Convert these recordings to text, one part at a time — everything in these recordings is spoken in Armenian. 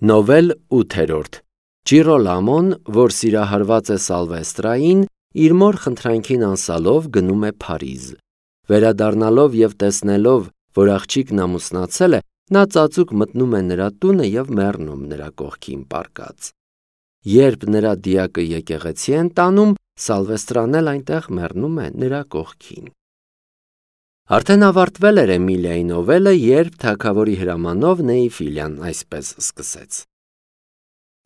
Նովել 8-րդ Ջիրոլամոն, որ սիրահարված է Սալվեստրային, իր մոր խնդրանքին անսալով գնում է Փարիզ։ Վերադառնալով և տեսնելով, որ աղջիկն ամուսնացել է, նա ծածուկ մտնում է նրա տունը և մեռնում նրա կողքին պառկած։ Երբ նրա դիակը եկեղեցի են տանում, Սալվեստրան էլ այնտեղ մեռնում է նրա կողքին։ Արդեն ավարտվել էր Էմիլիայի նովելը, երբ թագավորի հրամանով Նեիֆիլիան այսպես սկսեց.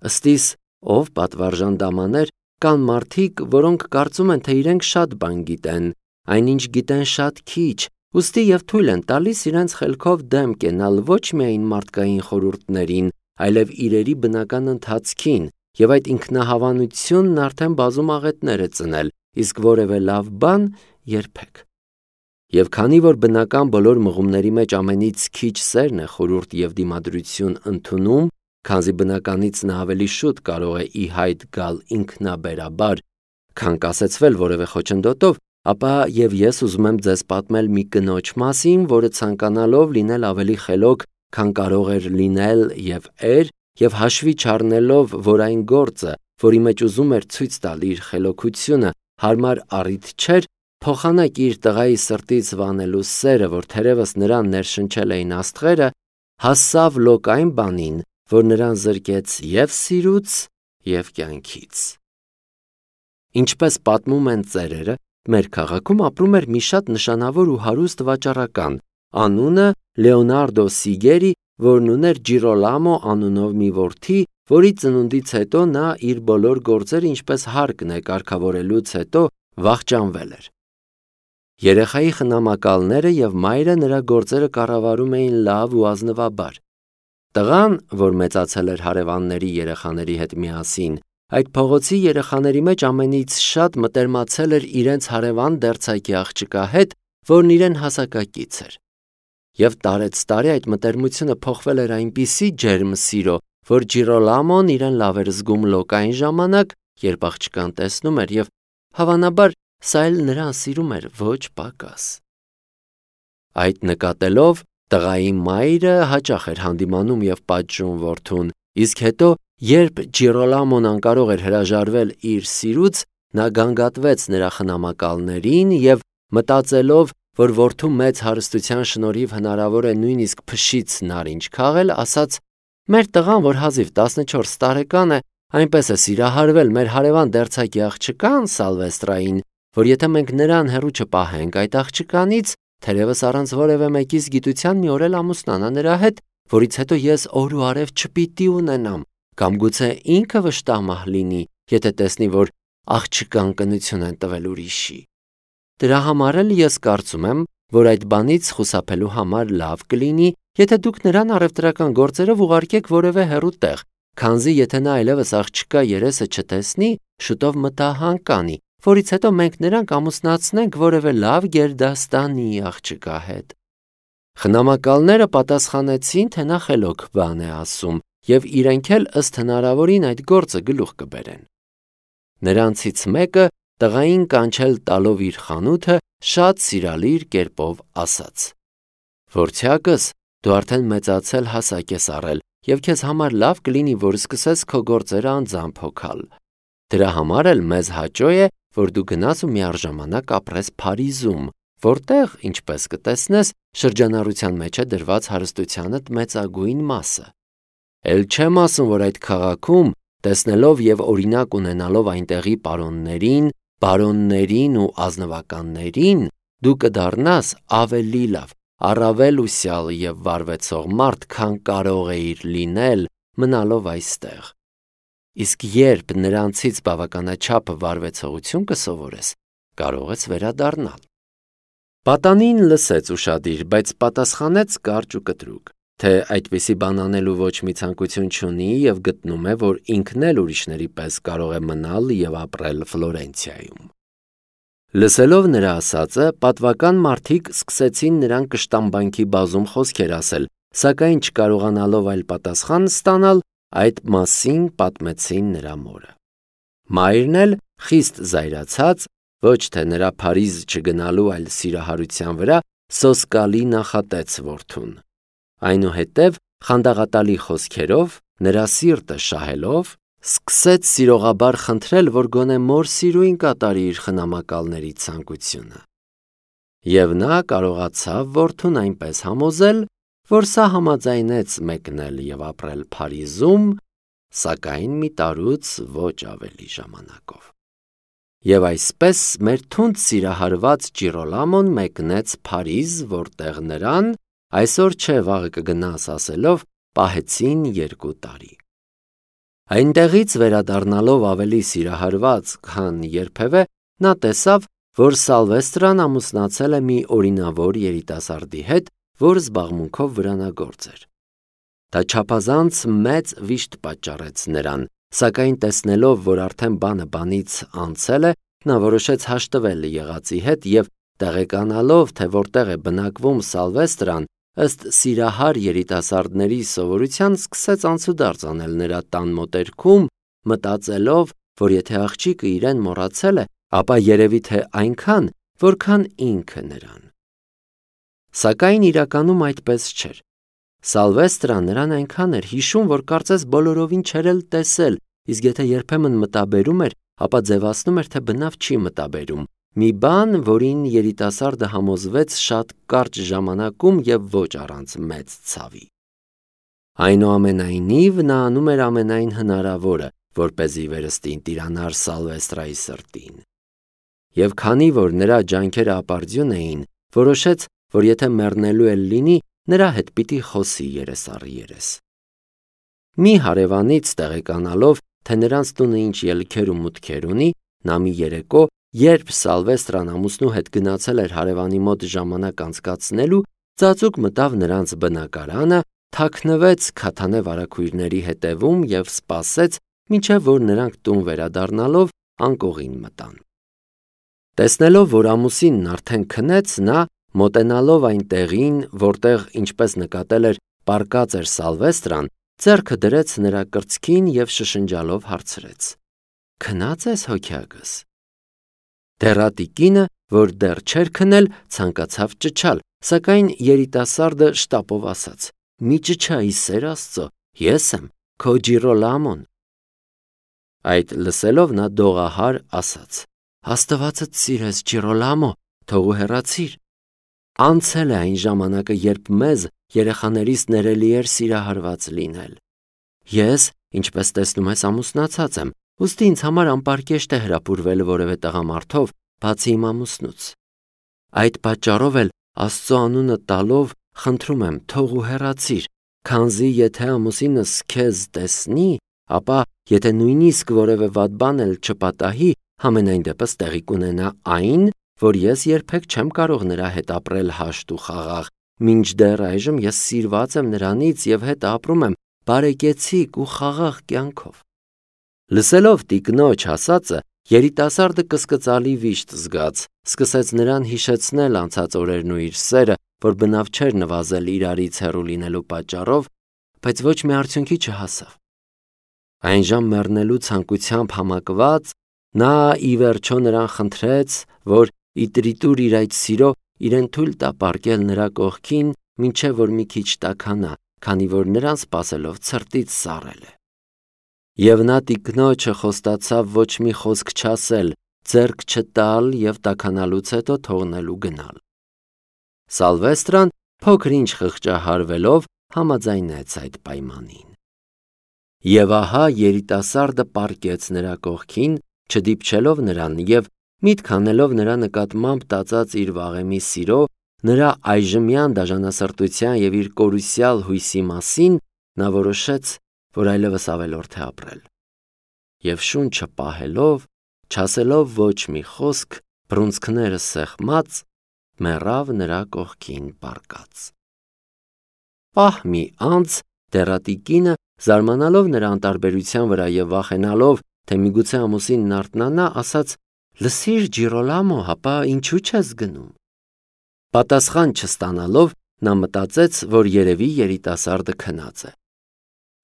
Ըստիս, ով պատվարժան դամաներ, կան մարդիկ, որոնք կարծում են, թե իրենք շատ բան գիտեն, այնինչ գիտեն շատ քիչ, ուստի և թույլ են տալիս իրենց խելքով դեմ կենալ ոչ միայն մարդկային խորհուրդներին, այլև իրերի բնական ընթացքին, և այդ ինքնահավանությունն արդեն բազում աղետներ է ծնել, իսկ որևէ լավ բան երբեք։ Եվ քանի որ բնական բոլոր մղումների մեջ ամենից քիչ սերն է խորհուրդ և դիմադրություն ընդունում, քանզի բնականից նա ավելի շուտ կարող է ի հայտ գալ ինքնաբերաբար, քան կասեցվել որևէ խոչընդոտով, ապա և ես ուզում եմ ձեզ պատմել մի կնոջ մասին, որը ցանկանալով լինել ավելի խելոք, քան կարող էր լինել և հաշվի չառնելով, որ այն գործը, որի մեջ ուզում էր ցույց տալ իր խելոքությունը, հարմար առիթ չէր, փոխանակ իր տղայի սրտից վանելու սերը, որ թերևս նրան ներշնչել էին աստղերը, հասավ լոկ այն բանին, որ նրան զրկեց և սիրուց, և կյանքից։ Ինչպես պատմում են ծերերը, մեր քաղաքում ապրում էր մի շատ նշանավոր ու հարուստ վաճառական, անունը Լեոնարդո Սիգերի, որն ուներ Ջիրոլամո անունով մի որդի, որի ծնունդից հետո նա իր բոլոր գործերը ինչպես հարկն է կարգավորելուց հետո վախճանվել էր։ Երեխայի խնամակալները և մայրը նրա գործերը կառավարում էին լավ ու ազնվաբար։ Տղան, որ մեծացել էր հարևանների երեխաների հետ միասին, այդ փողոցի երեխաների մեջ ամենից շատ մտերմացել էր իրենց հարևան դերձակի աղջկա հետ, որն իրեն հասակակից էր։ Եվ տարեցտարի այդ մտերմությունը փոխվել էր այնպիսի ջերմ սիրո, որ Ջիրոլամոն իրեն լավ էր զգում լոկ այն ժամանակ, երբ աղջկան տեսնում էր, և հավանաբար սա էլ նրան սիրում էր ոչ պակաս։ Այդ նկատելով, տղայի մայրը հաճախ էր հանդիմանում և պատժում որդուն, իսկ հետո, երբ Ջիրոլամոն անկարող էր հրաժարվել իր սիրուց, նա գանգատվեց նրա խնամակալներին և, մտածելով, որ որդու մեծ հարստության շնորհիվ հնարավոր է նույնիսկ փշից նարինջ քաղել, ասաց. «Մեր տղան, որ հազիվ 14 տարեկան է, այնպես է սիրահարվել մեր հարևան դերձակի աղջկան Սալվեստրային, որ եթե մենք նրան հեռու չպահենք այդ աղջկանից, թերևս առանց որևէ մեկիս գիտության մի օր էլ ամուսնանա նրա հետ, որից հետո ես օր ու արև չպիտի ունենամ, կամ գուցե ինքը վշտամահ լինի, եթե տեսնի, որ աղջկան կնություն են տվել ուրիշի։ Դրա համար էլ ես կարծում եմ, որ այդ բանից խուսափելու համար լավ կլինի, եթե դուք նրան առևտրական գործերով ուղարկեք որևէ հեռու տեղ, քանզի եթե նա այլևս աղջկա երեսը չտեսնի, շուտով մտահան կանի, որից հետո մենք նրան կամուսնացնենք որևէ լավ գերդաստանի աղջկա հետ»։ Խնամակալները պատասխանեցին, թե նա խելոք բան է ասում, և իրենք էլ ըստ հնարավորին այդ գործը գլուխ կբերեն։ Նրանցից մեկը, տղային կանչել տալով իր խանութը, շատ սիրալիր կերպով ասաց. «Որդյակս, դու արդեն մեծացել հասակ ես առել, և քեզ համար լավ կլինի, որ սկսես քո գործերը անձամբ հոգալ։ Դրա համար էլ մեզ հաճո է, որ դու գնաս ու միառժամանակ ապրես Փարիզում, որտեղ, ինչպես կտեսնես, շրջանառության մեջ է դրված հարստությանդ մեծագույն մասը։ Էլ չեմ ասում, որ այդ քաղաքում, տեսնելով և օրինակ ունենալով այնտեղի պարոններին, բարոններին ու ազնվականներին, դու կդառնաս ավելի լավ, առավել ուսյալ և վարվեցող մարդ, քան կարող էիր լինել մնալով այստեղ։ Իսկ երբ նրանցից բավականաչափ վարվեցողություն կսովորես, կարող ես վերադառնալ»։ Պատանին լսեց ուշադիր, բայց պատասխանեց կարճ ու կտրուկ, թե այդպիսի բան անելու ոչ մի ցանկություն չունի և գտնում է, որ ինքն էլ ուրիշների պես կարող է մնալ և ապրել Ֆլորենցիայում։ Լսելով նրա ասածը, պատվական մարդիկ սկսեցին նրան կշտամբանքի բազում խոսքեր ասել, սակայն չկարողանալով այլ պատասխան ստանալ, այդ մասին պատմեցին նրա մորը։ Մայրն էլ, խիստ զայրացած, ոչ թե նրա Փարիզ չգնալու, այլ սիրահարության վրա, սոսկալի նախատեց որդուն։ Այնուհետև խանդաղատալի խոսքերով նրա սիրտը շահելով, սկսեց սիրողաբար խնդրել, որ գոնե մոր սիրուին կատարի իր խնամակալների ցանկությունը։ Եվ նա կարողացավ որդուն այնպես համոզել, որ սա համաձայնեց մեկնել եւ ապրել Փարիզում, սակայն մի տարուց ոչ ավելի ժամանակով։ Եվ այսպես մեր թունդ սիրահարված Ջիրոլամոն մեկնեց Փարիզ, որտեղ նրան այսօր չէ վաղը կգնաս ասելով պահեցին 2 տարի։ Այնտեղից վերադառնալով ավելի սիրահարված, քան երբևէ, նա տեսավ, որ Սալվեստրան ամուսնացել է մի օրինավոր երիտասարդի հետ, որ զբաղմունքով վրանագործ էր։ Դա չափազանց մեծ վիշտ պատճառեց նրան, սակայն տեսնելով, որ արդեն բանը բանից անցել է, նա որոշեց հաշտվել եղածի հետ եւ տեղեկանալով, թե որտեղ է բնակվում Սալվեստրան, ըստ սիրահար երիտասարդների սովորության սկսեց անցուդարձ անել նրա տան մոտերքում, մտածելով, որ եթե աղջիկը իրեն մոռացել է, ապա երևի թե այնքան, որքան ինքը նրան։ Սակայն իրականում այդպես չէր։ Սալվեստրան նրան այնքան էր հիշում, որ կարծես բոլորովին չէր էլ տեսել, իսկ եթե երբեմն մտաբերում էր, ապա ձևացնում էր, թե բնավ չի մտաբերում, մի բան, որին երիտասարդը համոզվեց շատ կարճ ժամանակում եւ ոչ առանց մեծ ցավի։ Այնուամենայնիվ նա անում էր ամենայն հնարավորը, որպեսզի վերստին տիրանար Սալվեստրայի սրտին։ Եվ քանի որ նրա ջանքերը ապարդյուն էին, որոշեց, որ եթե մեռնելու էլ լինի, նրա հետ պիտի խոսի երես առ երես։ Մի հարևանից տեղեկանալով, թե նրանց տունը ինչ ելքեր ու մուտքեր ունի, նա մի երեկո, երբ Սալվեստրան ամուսնու հետ գնացել էր հարևանի մոտ ժամանակ անցկացնելու, ծածուկ մտավ նրանց բնակարանը, թաքնվեց քաթանե վարագույրների հետևում եւ սպասեց, մինչև որ նրանք տուն վերադառնալով անկողին մտան։ Տեսնելով, որ ամուսինն արդեն քնեց, նա մոտենալով այն տեղին, որտեղ ինչպես նկատել էր, պառկած էր Սալվեստրան, ձեռքը դրեց նրա կրծքին եւ շշնջալով հարցրեց. «Քնած ես հոգյակս»։ Դեռատիկինը, որ դեռ չէր քնել, ցանկացավ ճչալ, սակայն երիտասարդը շտապով ասաց. «Մի ճչա, ի սեր Աստծո, ես եմ, քո Ջիրոլամոն»։ Այդ լսելով նա դողահար ասաց. «Աստվածդ սիրես, Ջիրոլամո, թող ու հեռացիր»։ Անցել է այն ժամանակը, երբ մեզ երեխաներիս ներելի էր սիրահարված լինել։ Ես, ինչպես տեսնում ես, ամուսնացած եմ, ուստի ինձ համար անպարկեշտ է հրապուրվել որևէ տղամարդով, բացի իմ ամուսնուց։ Այդ պատճառով էլ Աստծո անունը տալով խնդրում եմ, թող ու հեռացիր, քանզի եթե ամուսինս քեզ տեսնի, ապա եթե նույնիսկ որևէ վատ բան էլ չպատահի, համենայն դեպս տեղի կունենա այն, որ ես երբեք չեմ կարող նրա հետ ապրել հաշտ ու խաղաղ, մինչդեռ այժմ ես սիրված եմ նրանից եւ հետ ապրում եմ բարեկեցիկ ու խաղաղ կյանքով։ Լսելով տիկնոջ ասածը, երիտասարդը կսկծալի վիշտ զգաց, սկսեց նրան հիշեցնել անցած օրերն ու իր սերը, որ բնավ չէր նվազել իրարից հեռու լինելու պատճառով, բայց ոչ մի արդյունքի չհասավ։ Այնժամ մեռնելու ցանկությամբ համակված, նա ի վերջո նրան խնդրեց, որ իտրիտուր իր այդ սիրո իրեն թույլ տա պառկել նրա կողքին, մինչև որ մի քիչ տաքանա, քանի որ նրան սպասելով ցրտից սառել է։ Եվ նա տիկնոջը խոստացավ ոչ մի խոսք չասել, ձեռք չտալ եւ տաքանալուց հետո թողնելու գնալ։ Սալվեստրան փոքր-ինչ խղճահարվելով համաձայնեց այդ պայմանին։ Եվ ահա երիտասարդը պառկեց նրա կողքին, չդիպչելով նրան եւ միտք անելով նրա նկատմամբ տածած իր վաղեմի սիրո, նրա այժմյան դաժանասրտության եւ իր կորուսյալ հույսի մասին, նա որոշեց, որ այլևս ավելորդ է ապրել։ Եվ շունչը պահելով, չասելով ոչ մի խոսք, բռունցքները սեղմած, մեռավ նրա կողքին պառկած։ Պահ մի անց դեռատիկինը, զարմանալով նրա անտարբերության վրա եւ վախենալով, թե միգուցե ամուսինն արթնանա, ասաց. «Լսիր, Ջիրոլամո, հապա ինչու չես գնում»։ Պատասխան չստանալով, նա մտածեց, որ երևի երիտասարդը քնած է։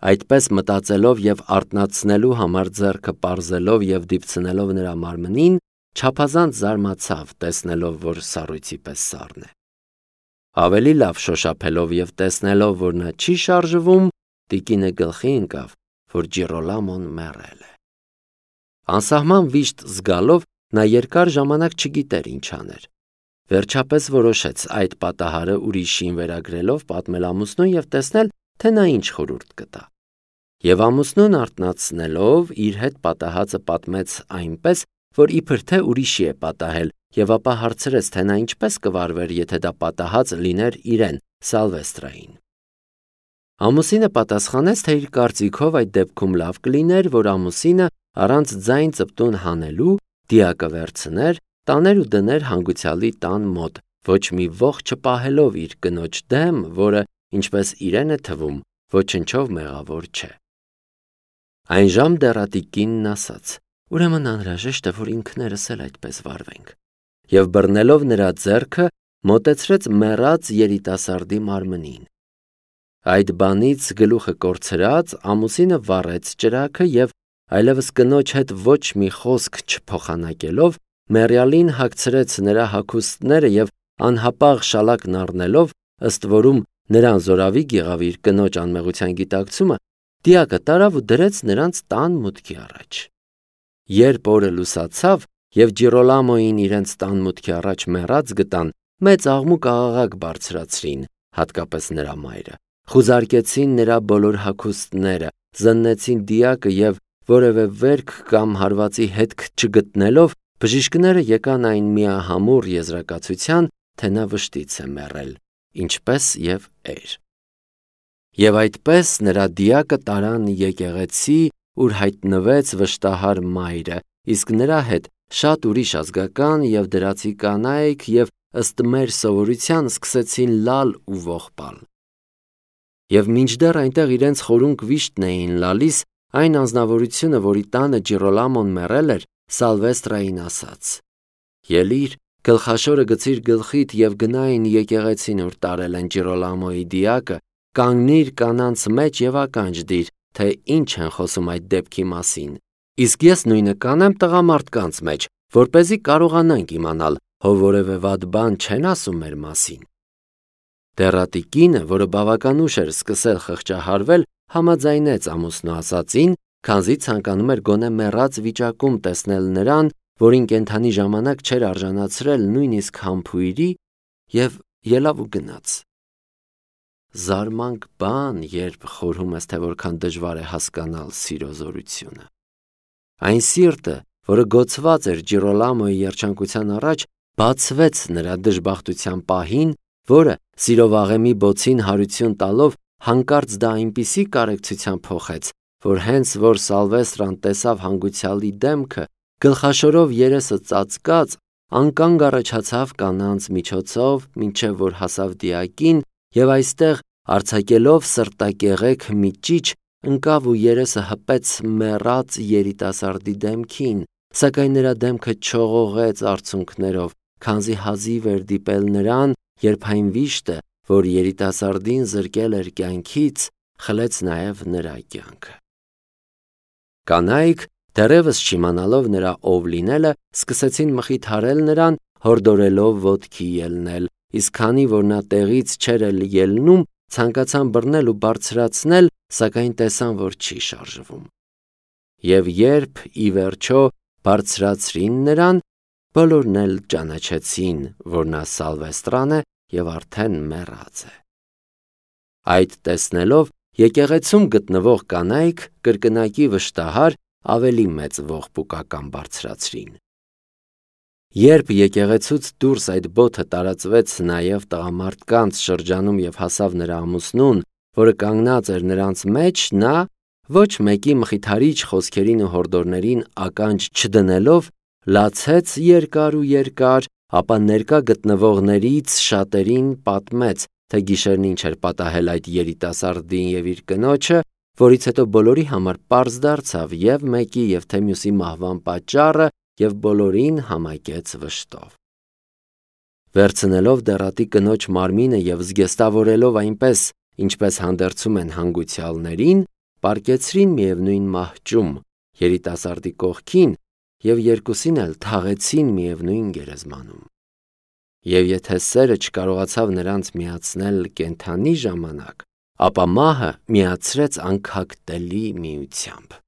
Այդպես մտածելով եւ արթնացնելու համար ձեռքը պարզելով եւ դիպցնելով նրա մարմնին, չափազանց զարմացավ, տեսնելով, որ սառույցի պես սառն է։ Ավելի լավ շոշափելով եւ տեսնելով, որ նա չի շարժվում, տիկինը գլխի ընկավ, որ Ջիրոլամոն մեռել է։ Անսահման վիշտ զգալով նա երկար ժամանակ չգիտեր ինչ աներ։ Վերջապես որոշեց այդ պատահարը ուրիշին վերագրելով պատմել ամուսնուն և տեսնել, թե նա ինչ խորհուրդ կտա։ Եվ ամուսնուն արթնացնելով իր հետ պատահածը պատմեց այնպես, որ իբր թե ուրիշի է պատահել, և ապա հարցրեց, թե նա ինչպես կվարվեր, եթե դա պատահած լիներ իրեն, Սալվեստրային։ Ամուսինը պատասխանեց, թե իր կարծիքով այդ դեպքում լավ կլիներ, որ ամուսինը առանց ձայն ծպտուն հանելու դիակը վերցներ, տաներ ու դներ հանգուցյալի տան մոտ, ոչ մի ոխ չպահելով իր կնոջ դեմ, որը, ինչպես իրեն է թվում, ոչնչով մեղավոր չէ։ Այնժամ դեռատիկ կինն ասաց. ուրեմն անհրաժեշտ է, որ ինքներս էլ այդպես վարվենք, և բռնելով նրա ձեռքը մոտեցրեց մեռած երիտասարդի մարմնին։ Այդ բանից գլուխը կորցրած ամուսինը վառեց ճրագը և այլևս կնոջ հետ ոչ մի խոսք չփոխանակելով մեռյալին հագցրեց նրա հագուստները և անհապաղ շալակն առնելով, ըստ որում նրան զորավիգ եղավ իր կնոջ անմեղության գիտակցումը, դիակը տարավ ու դրեց նրանց տան մուտքի առաջ։ Երբ օրը լուսացավ և Ջիրոլամոին իրենց տան մուտքի առաջ մեռած գտան, մեծ աղմուկ-աղաղակ բարձրացրին, հատկապես նրա մայրը, խուզարկեցին նրա բոլոր հագուստները, զննեցին դիակը և որևէ վերք կամ հարվածի հետք չգտնելով, բժիշկները եկան այն միահամուռ եզրակացության, թե նա վշտից է մեռել, ինչպես և էր։ Եվ այդպես նրա դիակը տարան եկեղեցի, ուր հայտնվեց վշտահար մայրը, իսկ նրա հետ շատ ուրիշ ազգական և դրացի կանայք և ըստ մեր սովորության սկսեցին լալ ու ողբալ։ Եվ մինչդեռ այնտեղ իրենց խորունկ վիշտն էին լալիս, այն անձնավորությունը, որի տանը Ջիրոլամոն մեռել էր, Սալվեստրային ասաց. «Ելիր, գլխաշորը գցիր գլխիդ և գնա այն եկեղեցին, ուր տարել են Ջիրոլամոյի դիակը, կանգնիր կանանց մեջ և ականջ դիր, թե ինչ են խոսում այդ դեպքի մասին, իսկ ես նույնը կանեմ տղամարդկանց մեջ, որպեսզի կարողանանք իմանալ, հո որևէ վատ բան չեն ասում մեր մասին»։ Դեռատիկ կինը, որը բավական ուշ էր սկսել խղճահարվել, համաձայնեց ամուսնու ասածին, քանզի ցանկանում էր գոնե մեռած վիճակում տեսնել նրան, որին կենդանի ժամանակ չէր արժանացրել նույնիսկ համբույրի, և ելավ ու գնաց։ Զարմանք բան, երբ խորհում ես, թե որքան դժվար է հասկանալ սիրո զորությունը։ Այն սիրտը, որը գոցված էր Ջիրոլամոյի երջանկության առաջ, բացվեց նրա դժբախտության պահին, որը սիրո վաղեմի բոցին հարություն տալով հանկարծ դա այնպիսի կարեկցության փոխեց, որ հենց որ Սալվեստրան տեսավ հանգուցյալի դեմքը, գլխաշորով երեսը ծածկած, անկանգ առաջացավ կանանց միջոցով, մինչև որ հասավ դիակին և այստեղ արձակելով սրտակեղեք մի ճիչ, ընկավ ու երեսը հպեց մեռած երիտասարդի դեմքին, սակայն նրա դեմքը չողողեց արցունքներով, քանզի հազիվ էր դիպել նրան, երբ այն վիշտը, որ երիտասարդին զրկել էր կյանքից, խլեց նաև նրա կյանքը։ Կանայք, դեռևս չիմանալով նրա ով լինելը, սկսեցին մխիթարել նրան, հորդորելով ոտքի ելնել, իսկ քանի որ նա տեղից չէր էլ ելնում, ցանկացան բռնել ու բարձրացնել, սակայն տեսան, որ չի շարժվում։ Եվ երբ ի վերջո բարձրացրին նրան, բոլորն էլ ճանաչեցին, որ նա Սալվեստրան է և արդեն մեռած է։ Այդ տեսնելով եկեղեցում գտնվող կանայք կրկնակի վշտահար ավելի մեծ ողբուկական բարձրացրին։ Երբ եկեղեցուց դուրս այդ բոթը տարածվեց նաև տղամարդկանց շրջանում և հասավ նրա ամուսնուն, որը կանգնած էր նրանց մեջ, նա ոչ մեկի մխիթարիչ խոսքերին ու հորդորներին ականջ չդնելով, լացեց երկար ու երկար, ապա ներկա գտնվողներից շատերին պատմեց, թե գիշերն ինչ էր պատահել այդ երիտասարդին և իր կնոջը, որից հետո բոլորի համար պարզ դարձավ և մեկի և թե մյուսի մահվան պատճառը և բոլորին համակեց վշտով։ Վերցնելով դեռատի կնոջ մարմինը և զգեստավորելով այնպես, ինչպես հանդերձում են հանգուցյալներին, պառկեցրին միևնույն մահճում երիտասարդի կողքին և երկուսին էլ թաղեցին միևնույն գերեզմանում։ Եվ եթե սերը չկարողացավ նրանց միացնել կենդանի ժամանակ, ապա մահը միացրեց անքակտելի միությամբ։